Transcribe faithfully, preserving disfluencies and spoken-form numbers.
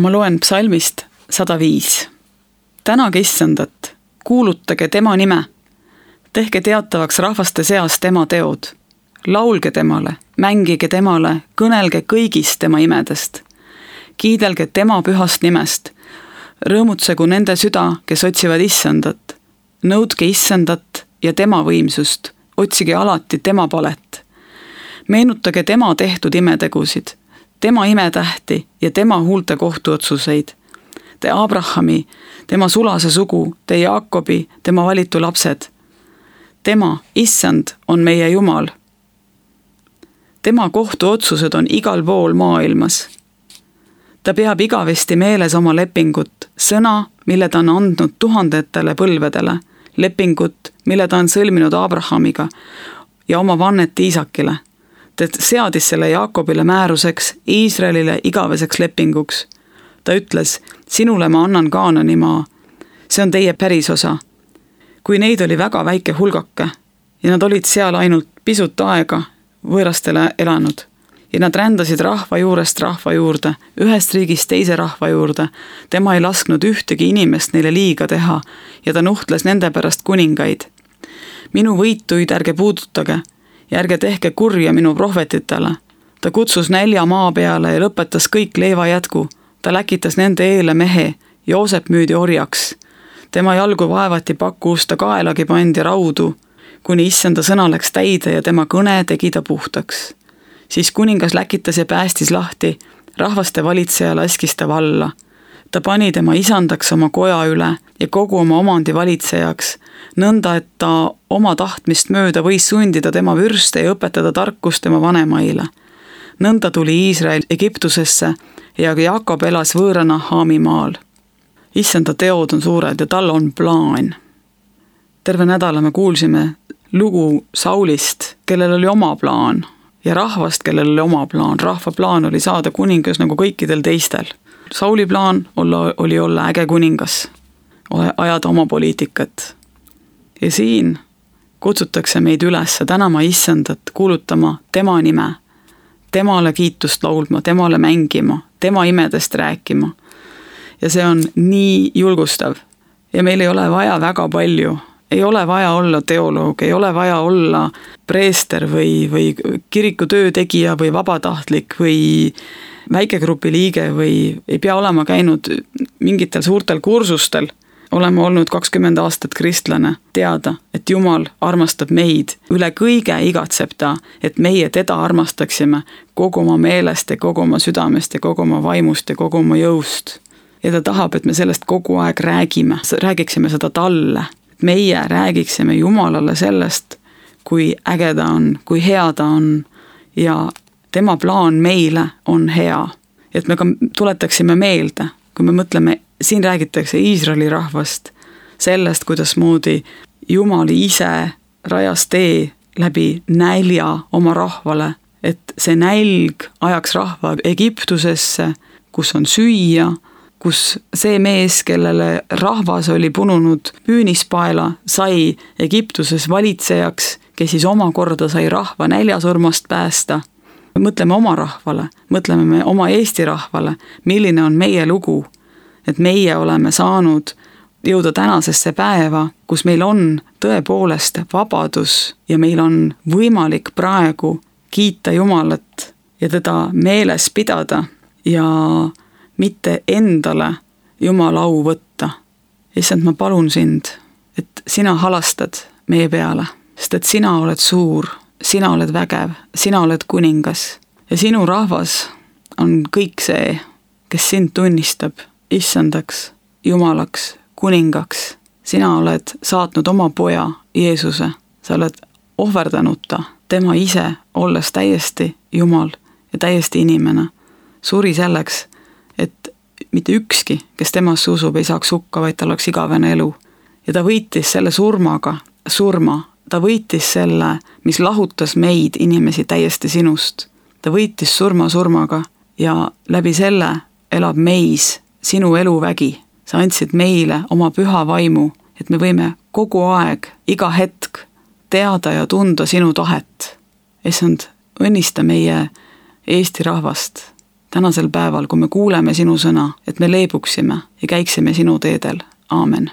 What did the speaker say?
ma loen psalmist sada viis. Tänage issandat, kuulutage tema nime, tehke teatavaks rahvaste seas tema teod, laulge temale, mängige temale, kõnelge kõigist tema imedest, kiidelge tema pühast nimest, rõõmutsegu nende süda, kes otsivad issandat, nõudke issandat ja tema võimsust, otsige alati tema palet, meenutage tema tehtud imetegusid, tema imetähti ja tema huulte kohtuotsuseid, te Abrahami, tema sulase sugu, te Jaakobi, tema valitu lapsed. Tema, issand, on meie Jumal. Tema kohtuotsused on igal pool maailmas. Ta peab igavesti meeles oma lepingut, sõna, mille ta on andnud tuhandetele põlvedele, lepingut, mille ta on sõlminud Abrahamiga ja oma vannet Iisakile. Ta seadis selle Jaakobile määruseks, Iisraelile igaveseks lepinguks. Ta ütles, sinule ma annan Kaanani maa. See on teie pärisosa. Kui neid oli väga väike hulgake ja nad olid seal ainult pisut aega võõrastele elanud ja nad rändasid rahva juurest rahva juurde, ühest riigist teise rahva juurde, tema ei lasknud ühtegi inimest neile liiga teha ja ta nuhtles nende pärast kuningaid. Minu võituid ärge puudutage ja ärge tehke kurja minu prohvetitele. Ta kutsus nälja maa peale ja lõpetas kõik leiva jätku. Ta läkitas nende eele mehe, Joosep müüdi orjaks. Tema jalgu vaevati pakkuus, ta kaelagi pandi raudu, kuni issanda sõna läks täide ja tema kõne tegi ta puhtaks. Siis kuningas läkitas ja päästis lahti, rahvaste valitseja laskis ta valla. Ta pani tema isandaks oma koja üle ja kogu oma omandi valitsejaks, nõnda, et ta oma tahtmist mööda võis sundida tema vürste ja õpetada tarkust tema vanemaile. Nõnda tuli Iisrael Egiptusesse ja Jaakob elas võõrana Haami maal. Issanda teod on suured ja tal on plaan. Terve nädala me kuulsime lugu Saulist, kellel oli oma plaan ja rahvast, kellel oli oma plaan. Rahva plaan oli saada kuningas nagu kõikidel teistel. Sauli plaan olla, oli olla äge kuningas, ajada oma poliitikat. Ja siin kutsutakse meid üles tänama issandat, kuulutama tema nime, temale kiitust laulma, temale mängima, tema imedest rääkima. Ja see on nii julgustav. Ja meil ei ole vaja väga palju. Ei ole vaja olla teoloog, ei ole vaja olla preester või, või kiriku töötegija või vabatahtlik või väikegrupi liige või ei pea olema käinud mingitel suurtel kursustel. Oleme olnud kakskümmend aastat kristlane, teada, et Jumal armastab meid, üle kõige igatseb ta, et meie teda armastaksime kogu oma meelest ja kogu oma südamest ja kogu oma vaimust ja kogu oma jõust. Ja ta tahab, et me sellest kogu aeg räägime, räägiksime seda talle, et meie räägiksime Jumalale sellest, kui äge ta on, kui hea ta on ja tema plaan meile on hea. Et me ka tuletaksime meelde, kui me mõtleme, siin räägitakse Iisraeli rahvast, sellest, kuidas moodi Jumal ise rajas tee läbi nälja oma rahvale, et see nälg ajaks rahva Egiptusesse, kus on süüa, kus see mees, kellele rahvas oli pununud püünispaela, sai Egiptuses valitsejaks, kes siis omakorda sai rahva näljasurmast päästa. Mõtleme oma rahvale, mõtleme me oma Eesti rahvale, milline on meie lugu, et meie oleme saanud jõuda tänasesse päeva, kus meil on tõepoolest vabadus ja meil on võimalik praegu kiita Jumalat ja teda meeles pidada ja mitte endale Jumala au võtta. Issand, ma palun sind, et sina halastad meie peale, sest et sina oled suur, sina oled vägev, sina oled kuningas ja sinu rahvas on kõik see, kes sind tunnistab issandaks, Jumalaks, kuningaks. Sina oled saatnud oma poja Jeesuse, sa oled ohverdanud ta, tema ise, olles täiesti Jumal ja täiesti inimene, suri selleks, et mitte ükski, kes temasse usub, ei saaks hukka, vaid tal oleks igavene elu. Ja ta võitis selle surmaga, surma, ta võitis selle, mis lahutas meid inimesi täiesti sinust. Ta võitis surma surmaga ja läbi selle elab meis sinu eluvägi. Sa andsid meile oma püha vaimu, et me võime kogu aeg, iga hetk teada ja tunda sinu tahet. Issand, õnnista meie Eesti rahvast tänasel päeval, kui me kuuleme sinu sõna, et me leebuksime ja käiksime sinu teedel. Aamen.